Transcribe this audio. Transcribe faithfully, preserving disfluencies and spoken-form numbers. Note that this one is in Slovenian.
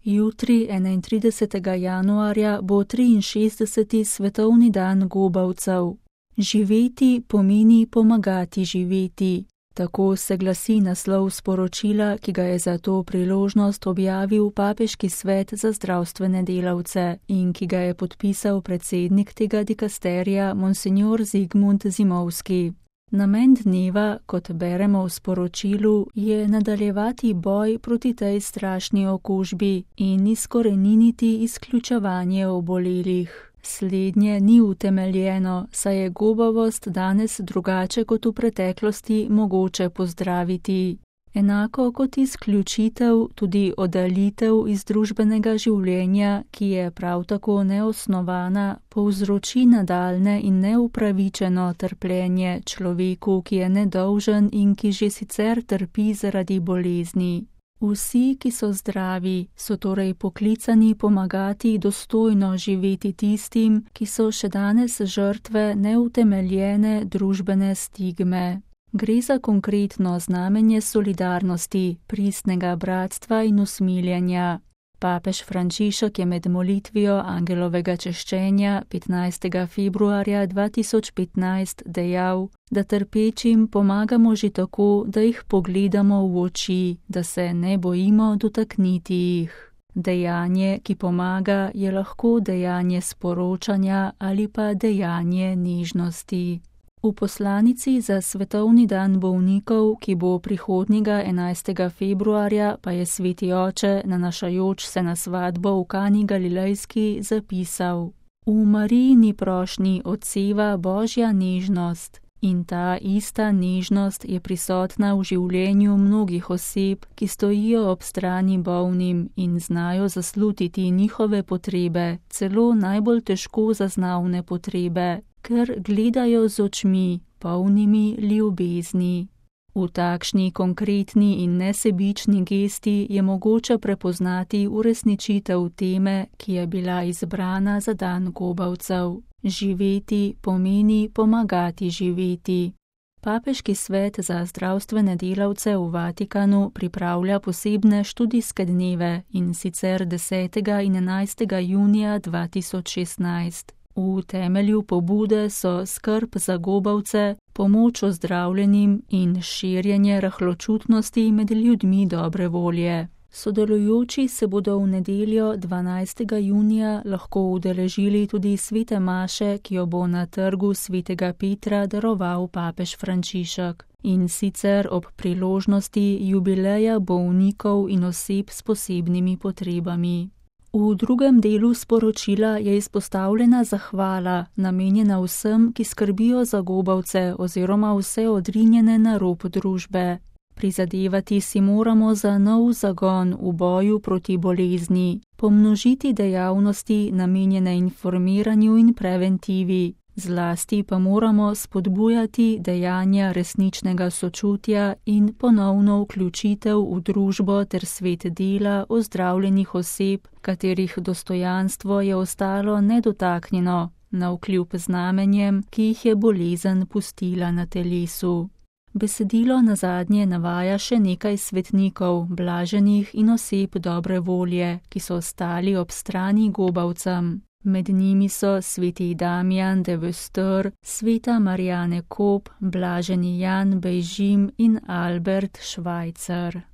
Jutri, enaintridesetega januarja, bo triinšestdeseti svetovni dan gobavcev. Živeti pomeni pomagati živeti. Tako se glasi naslov sporočila, ki ga je za to priložnost objavil Papeški svet za zdravstvene delavce in ki ga je podpisal predsednik tega dikasterija Monsignor Zigmund Zimovski. Namen dneva, kot beremo v sporočilu, je nadaljevati boj proti tej strašni okužbi in izkoreniniti izključevanje obolelih. Slednje ni utemeljeno, saj je gobavost danes drugače kot v preteklosti mogoče pozdraviti. Enako kot izključitev, tudi oddaljitev iz družbenega življenja, ki je prav tako neosnovana, povzroči nadaljnje in neupravičeno trpljenje človeku, ki je nedolžen in ki že sicer trpi zaradi bolezni. Vsi, ki so zdravi, so torej poklicani pomagati dostojno živeti tistim, ki so še danes žrtve neutemeljene družbene stigme. Gre za konkretno znamenje solidarnosti, pristnega bratstva in usmiljenja. Papež Frančišek je med molitvijo angelovega češčenja petnajstega februarja dva tisoč petnajst dejal, da trpečim pomagamo že tako, da jih pogledamo v oči, da se ne bojimo dotakniti jih. Dejanje, ki pomaga, je lahko dejanje sporočanja ali pa dejanje nežnosti. V poslanici za svetovni dan bolnikov, ki bo prihodnjega enajstega februarja, pa je sveti oče, nanašajoč se na svatbo v Kani Galilejski, zapisal: V Marijini prošnji odseva Božja nežnost in ta ista nežnost je prisotna v življenju mnogih oseb, ki stojijo ob strani bolnim in znajo zaslutiti njihove potrebe, celo najbolj težko zaznavne potrebe, ker gledajo z očmi, polnimi ljubezni. V takšni konkretni in nesebični gesti je mogoče prepoznati uresničitev teme, ki je bila izbrana za dan gobavcev. Živeti pomeni pomagati živeti. Papeški svet za zdravstvene delavce v Vatikanu pripravlja posebne študijske dneve, in sicer desetega in enajstega junija dva tisoč šestnajst. V temelju pobude so skrb za gobavce, pomoč ozdravljenim in širjenje rahločutnosti med ljudmi dobre volje. Sodelujoči se bodo v nedeljo dvanajstega junija lahko udeležili tudi svete maše, ki jo bo na trgu svetega Petra daroval papež Frančišek, in sicer ob priložnosti jubileja bolnikov in oseb s posebnimi potrebami. V drugem delu sporočila je izpostavljena zahvala, namenjena vsem, ki skrbijo za gobavce oziroma vse odrinjene na rob družbe. Prizadevati si moramo za nov zagon v boju proti bolezni, pomnožiti dejavnosti namenjene informiranju in preventivi, zlasti pa moramo spodbujati dejanja resničnega sočutja in ponovno vključitev v družbo ter svet dela ozdravljenih oseb, katerih dostojanstvo je ostalo nedotaknjeno, navkljub znamenjem, ki jih je bolezen pustila na telesu. Besedilo nazadnje navaja še nekaj svetnikov, blaženih in oseb dobre volje, ki so stali ob strani gobavcem. Med njimi so sveti Damijan de Vester, sveta Marijane Kop, blaženi Jan Bejžim in Albert Švajcer.